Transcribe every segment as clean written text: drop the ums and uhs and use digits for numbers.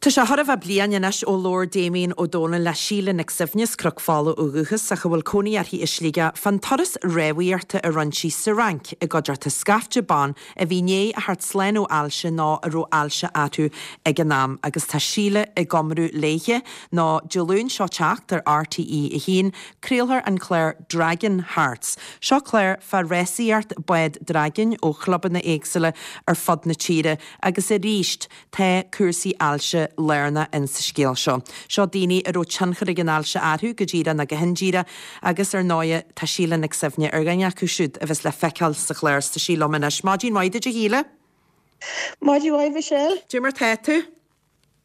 Tá sé chóir a bheith bliain anois ó labhair Damien Ó Dónaill le Síle Nic Suibhne as Cnoc Fola ó dhúchas ach a bhfuil cónaí uirthi i Sligeach fán turas rámhaíochta a rinne sí sa Fhrainc i gcuideachta scaifte ban a bhí i ndiaidh a theacht slán ó ailse nó a raibh ailse orthu ag an am agus tá Síle ag iomrá léithe nó Dé Luain seo teacht ar RTÉ 1 craolfar an clár Dragon Hearts. Seo clár fá rásaíocht bád dragain ó chlubanna éagsúla ar fud na tíre agus arís Tá cúrsaí ailse lárnach in sa scéal seo. Seo daoine a raibh tionchar ag an ailse orthu, go díreach nó go hindíreach, agus ar ndóighe tá Síle Nic Suibhne ar dhuine acu siúd a bheas le feiceáil sa chlár 's tá sí liom anois. Maidin mhaith duit a Shíle. Maidin mhaith Michelle. Cad é mar tá tú?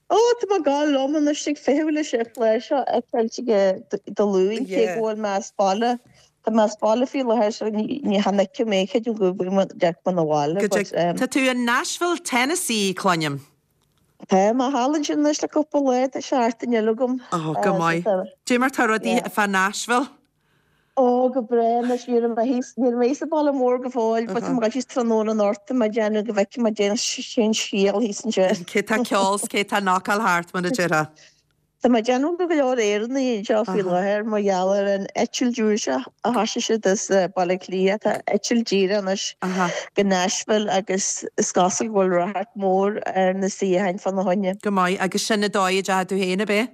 Ó, tá mé ag gabháil liom anois ag feitheamh leis an chlár seo a fheiceáil Dé Luain, cé go bhfuil mé as baile. Tá mé as baile faoi láthair so ní chan fheicfidh mé, creidim go bhfuil mé dearc mé 'na bhaile but um. Tá tú in Nashville, Tennessee, cluinim. Tá mé thall ansin anois le cúpla lá, tá seachtain eile agam. Oh, go maith. Cad é mar tá rudaí fá Nashville? Oh, go breá anois, ní raibh mé thíos, ní raibh mé thíos sa bhaile mór go fóill but tá mé ag dul síos tráthnóna anocht, tá mé ag déanamh go bhfeicfidh mé cad é an scéal thíos ansin. Cé tá ceol 's cé tá knockáil thart mar a déarfá. Tá mé ag déanamh go bhfuil go leor Éireannaigh anseo faoi láthair mar gheall ar an eitilt úr seo a thoisigh siad as Baile Átha Cliath. Tá eitilt díreach anois go Nashville agus is cosúil go bhfuil ráchairt mhór ar na suíocháin fána choinne. Go maith. Agus sin an dóigh a dteachaigh tú féin, ab é?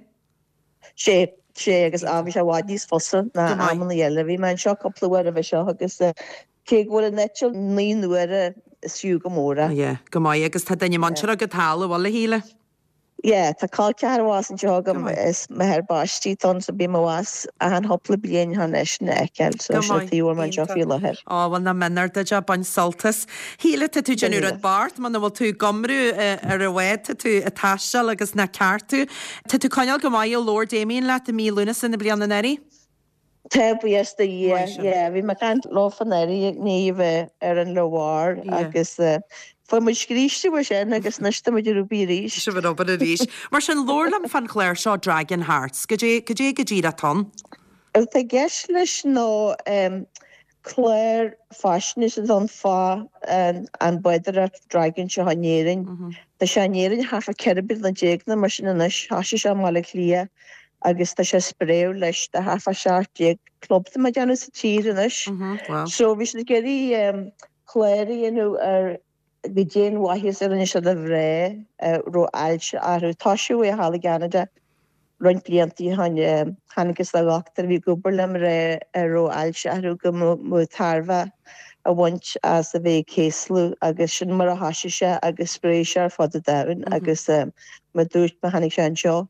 Sé, sé agus á bhí sé i bhfad níos fusa ná amanna eile. Bhí mé anseo cúpla uair roimhe seo agus cé go bhfuil an eitilt 9 n-uaire is fiú go mór é. Yeah, go maith. Agus tá duine muinteartha agat thall, an bhfuil, a Shíle? Yeah, tá col ceathrar abhus anseo agam is m'athair baistí atá ann so bím abhus achan chúpla bliain chun eisean a fheiceáil so Go sin an maith, tuige a bhfuil mé anseo iontach. faoi láthair. Ó, bhuel nach méanar duit é, bain sult as. Shíle, tá tú ag déanamh rud beart, muna bhfuil tú ag iomrá ar an bhád, tá tú ag taisteal agus nach ceart tú. Tá tú coinneáil go maith ó labhair Damien leat i mí Lúnasa na bliana anuraidh? Tá, buíochas do Dhia. Yeah, bhí mé ag caint leo anuraidh i ndiaidh a bheith ar an Loire agus fuair muid scríste uaidh sin agus anois tá muid ar obair arís. Sibh ar obair arís. Mar sin, labhair liom fán chlár seo Dragon Hearts. Goidé, goidé go díreach atá ann? Rud atá i gceist leis ná clár faisnéise atá ann fá an bádóireacht dragan seo in Éirinn. Tá sé in Éirinn thart fá 14 bliana nó mar sin anois. Thoisigh sé i mBaile Átha Cliath agus tá sé ag spréadh leis do thart fá 17 club tá mé ag déanamh sa tír anois. So bhí siad ag iarraidh clár a dhéanamh ar goidé an mhaitheas a rinne sé do mhná a raibh ailse orthu. Toisíodh é thall i gCeanada roinnt blianta ó shin. Thángthas ar dhochtúir a bhí ag obair le mná a raibh ailse orthu go mba tairbhe a bhaint as a bheith ag céaslú agus sin mar a thoisigh sé agus spréigh sé ar fud an domhain agus mar a dúirt mé tháinig sé anseo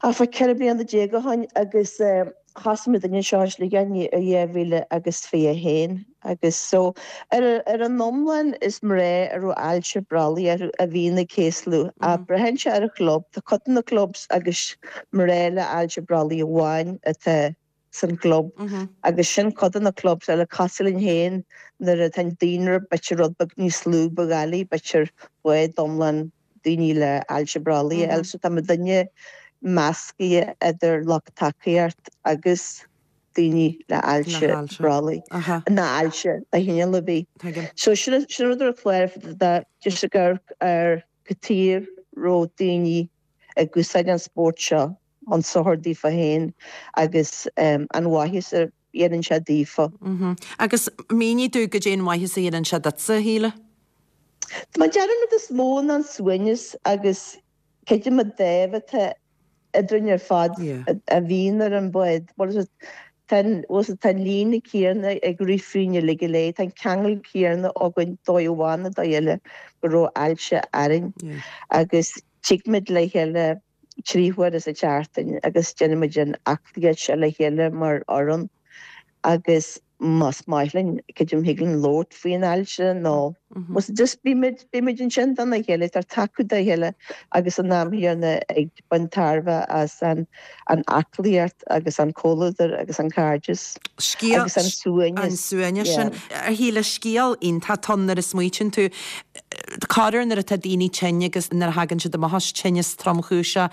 Thart fá 14 bliana ó shin agus thosaigh muid anseo i Sligeach i 2021 agus so ar ar an iomlán is mná a raibh ailse brollaigh orthu a bhíonn ag céaslú ach braitheann sé ar an chlub, tá cuid de na clubs agus mná le ailse brollaigh amháin atá san gclub agus sin cuid de na clubs eile cosúil linn féin nuair atá an daonra b'fhéidir rud beag níos lú ba dhoiligh b'fhéidir bád iomlán daoine le ailse brollaigh a fháil so tá muidinne meascaithe idir lucht tacaíocht agus daoine le ailse brollaigh nó ailse de chineál ar bith. So sin sin rud ar chlár just ag amharc ar cad chuige a raibh daoine ag úsáid an spórt seo an sochar daofa féin agus an mhaitheas a dhéanann sé daofa. Agus mínigh domh goidé an mhaitheas a dhéanann sé duitse, a Shíle. Tá mé ag déanamh an rud is mó ná an suaimhneas agus creidim an dáimh atá eadrainn ar fad a bhíonn ar an bhád. Bhuel, tá an líne céanna ag rith fríinn uilig go léir, tá an ceangal céanna againn dóigh amháin nó dóigh eile go raibh ailse orainn agus tig muid le chéile 3 huaire sa tseachtain agus déanaimid an aclaíocht seo le chéile mar fhoireann agus más maith linn, creidim thig linn labhairt faoin ailse nó just bímid, bímid ansin dona chéile, ag tacú dá chéile agus san am chéanna ag baint tairbhe as an an aclaíocht agus an comhluadar agus an cairdeas Scéal, agus an suaimhneas. An suaimhneas sin. A Shíle, scéal iontach atá ann nuair a smaoitíonn tú. Corruair nuair atá daoine tinn agus nuair a thagann siad amach as tinneas tromchúiseach,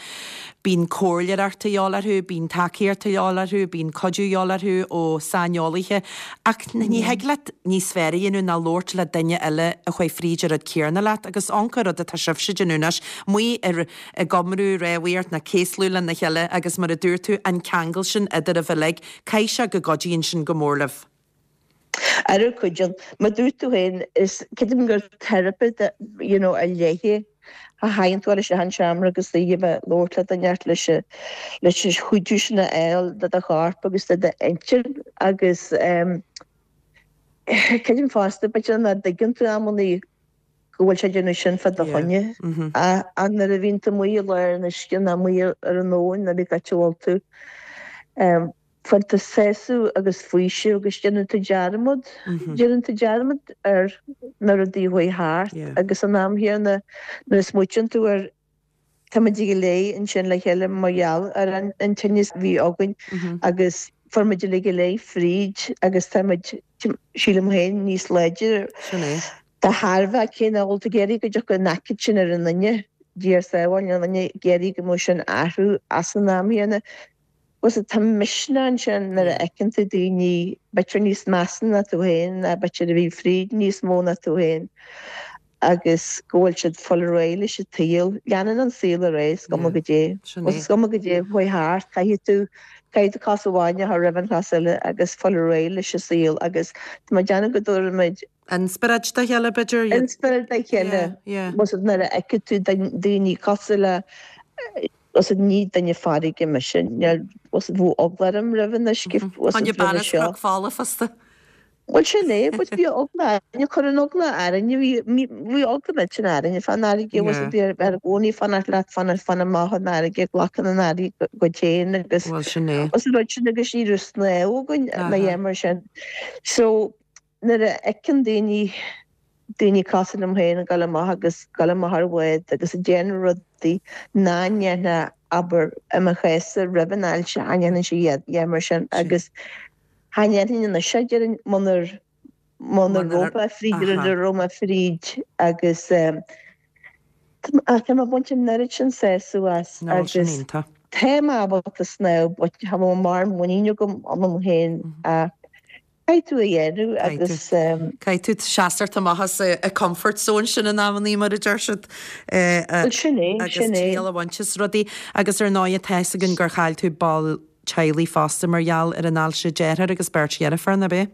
bíonn comhairleoireacht a dhíobháil orthu, bíonn tacaíocht a dhíobháil orthu, bíonn cuidiú a dhíobháil orthu ó saineolaithe. Ach ní thig leat níos fearr a dhéanamh ná labhairt le duine eile. eile a chuaigh fríd an rud céarna leat agus amharc an rud atá sibhse ag déanamh anois, amuigh ar, ag iomrú, rámhaíocht nó céaslú lena chéile agus mar a dúirt tú, an ceangal sin eadraibh uilig, caithfidh sé go gcuidíonn sin go mór libh. Ara cuidíonn. Mar dúirt tú féin, is creidim gur teiripe you know ar leith é a thagann tú isteach an seomra agus tú ag labhairt le duine ort leis an leis an chuidiú sin a fháil do do chorp agus do d'intinn agus ehm creidim fosta b'fhéidir nach dtuigeann tú amannaí go bhfuil sé ag déanamh sin fá do choinne. Ach nuair a bhíonn tú amuigh i lár an uisce nó amuigh ar an abhainn nó pé áit a bhfuil tú, faigheann tú sásamh agus faoiseamh agus déanann tú dearmad, déanann tú dearmad ar na rudaí a chuaigh thart agus san am chéanna nuair a smaoitíonn tú ar táimid go léir ansin le chéile mar gheall ar an tinneas a bhí againn agus fuair muid uilig go léir fríd agus táimid, sílim féin, níos láidre de thairbhe cé nach bhfuil tú ag iarraidh go dtiocfadh an aicíd sin ar an duine, Dia ár sábháil, níl aon duine ag iarraidh go mbeadh sin athrú as an am chéanna. Bhuel tá misneach ansin nuair a fheiceann tú daoine b'fhéidir níos measa ná tú féin ná b'fhéidir a bhí fríd níos mó ná tú féin agus go bhfuil siad ag fáil ar aghaidh leis an tsaol. Leanann an saol ar aghaidh, is cuma goidé. Bhuel is cuma goidé a chuaigh thart, caithfidh tú, caithfidh tú cos amháin a chur roimh an chos eile agus fáil ar aghaidh leis an saol agus tá mé ag déanamh go dtabharfaimid Inspioráid dá chéile, b'fhéidir. Inspioráid dá chéile. Bhuel nuair a fheiceann tú daoine cosúil le Bhuel ní duine farraige mise, níl, bhuel bheadh eagla orm roimh an uisce, bhuel Tháinig bean as Cnoc Fola fosta. Bhuel sin é, but bhí eagla orainne, chuir an eagla orainne, bhí, bhí eagla millteanach orainne fán fharraige, bhuel bhí ar i gcónaí fanacht leat, fanacht, fan amach ón fharraige, glacann an fharraige dhuit féin agus, Bhuel sin é. bhuel an rud sin agus ní raibh snámh againn ná a dhath mar sin. So, Nuair a fheiceann daoine, daoine cosúil liom féin ag dul amach agus dul amach ar bhád agus ag déanamh rudaí nach ndéanfá, abair, i mo chás-sa roimh an ailse, cha ndéanfainnse a dhath mar sin agus cha ndéanfainn anois é, déarfainn, munar, muna raibh mé fríd an rud a raibh mé fríd agus tá mé ag baint an oiread sin sásamh as agus tá mé ábalta snámh but cha bhfuil mórán muinín agam ionam féin ach Caithfidh tú a dhéanamh agus. Caithfidh tú seasamh amach as an comfort zone sin in amannaí mar a deir siad. Bhuel sin é, sin é. Agus triail a bhaint as rudaí. Agus ar ndóigh tá fhios againn gur chaill tú ball teaghlaigh fosta mar gheall ar an ailse, deartháir agus beirt dheirfiúr, nach b'é?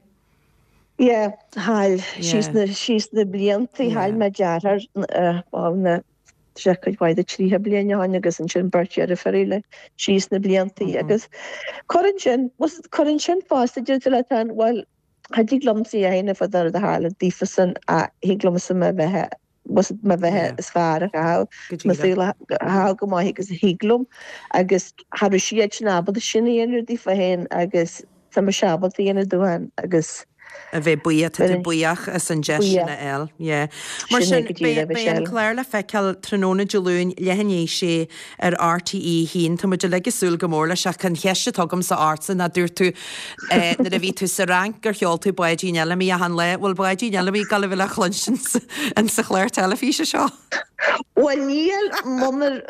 Yeah, chaill. Síos na, síos na blianta chaill mé deartháir, bhuel na, sé cuid mhaith de 30 bliain ó shin agus ansin beirt dheirfiúr eile síos na blianta agus cuireann sin, cuireann sin fosta deir tú leat féin, bhuel, cha dtig liomsa a dhéanamh fá rud a tharla daofasan ach thig liomsa mo bheatha, mo bheatha is fearr a chaitheamh, mo saol a chaitheamh go maith agus a thig liom agus cha raibh siad sin ábalta sin a dhéanamh daofa féin agus Tá mise ábalta a dhéanamh dóibh féin agus. A bheith buíoch, tá tú buíoch as an deis sin a fháil. Yeah. Mar sin, beidh an clár le feiceáil tráthnóna Dé Luain, leath i ndiaidh a sé ar RTÉ 1. Tá muid uilig ag súil go mór leis ach an cheist atá agamsa ortsa ná dúirt tú nuair a bhí tú sa Fhrainc gur cheol tú Báidín Fheilimí achan lá. Bhfuil Báidín Fheilimí ag gabháil a bheith le cluinstin sa chlár teilifíse seo? Bhuel níl, munar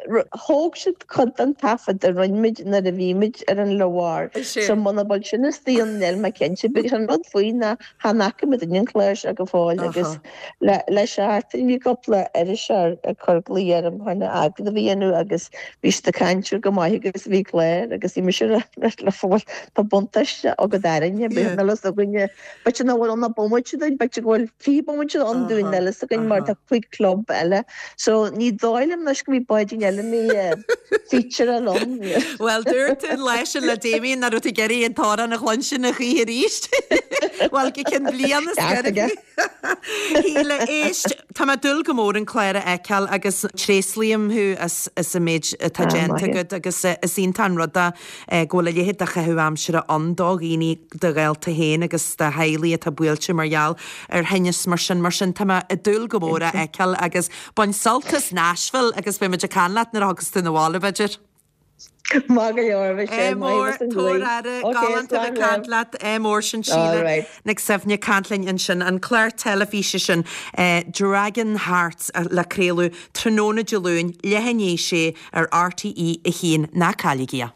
thóg siad cuid den taifead a rinne muid nuair a bhí muid ar an Loire, so muna bhfuil sin istigh ann níl mé cinnte, but an rud faoi ná chan fhaca muid an clár seo go fóill agus le seachtain bhí cúpla iriseoir ag cur glaoch orm chun agallamh a dhéanamh agus bhí siad ag caint ar go maith agus a bhí an clár agus bhí mise le bhuel tá buntáiste agat orainne, bhí an fhios againne B'fhéidir nach bhfuil ann ach bomaite dúinn, b'fhéidir go bhfuil 20 bomaite ann dúinn níl fhios againn mar tá cúig club eile. So ní dóigh liom anois go mbeidh Báidín Fheilimí featureáil ann. Bhuel, dúirt tú an lá sin le Damien nach raibh tú ag iarraidh an t-amhrán a chluinstin a choíche arís. Bhuel, go ceann bliana is Ceart aige. Shíle, éist, tá mé ag dúil go mór an clár a fheiceáil agus tréaslaím thú as an méid atá déanta agat agus is iontach an rud é go bhfuil a leithéid de chaitheamh aimsire ann do dhaoine, do ghaolta féin agus do theaghlaigh atá buailte mar gheall ar thinneas mar sin. Mar sin, tá mé ag dúil go mór é a fheiceáil agus bain sult as Nashville agus beidh muid ag caint leat nuair a thiocfas tú 'na bhaile, b'fhéidir. Maith go leor, Michelle, Ádh mór, maith as an tabhair ghlaoch. aire, Ok, galánta a bheith slán ag caint libh. leat. Ádh mór, sin All Síle right. Nic Suibhne ag caint linn ansin. An clár teilifíse sin, Dragon Hearts, le craoladh tráthnóna Dé Luain, leath i ndiaidh a sé ar RTÉ 1. Ná cailligí é.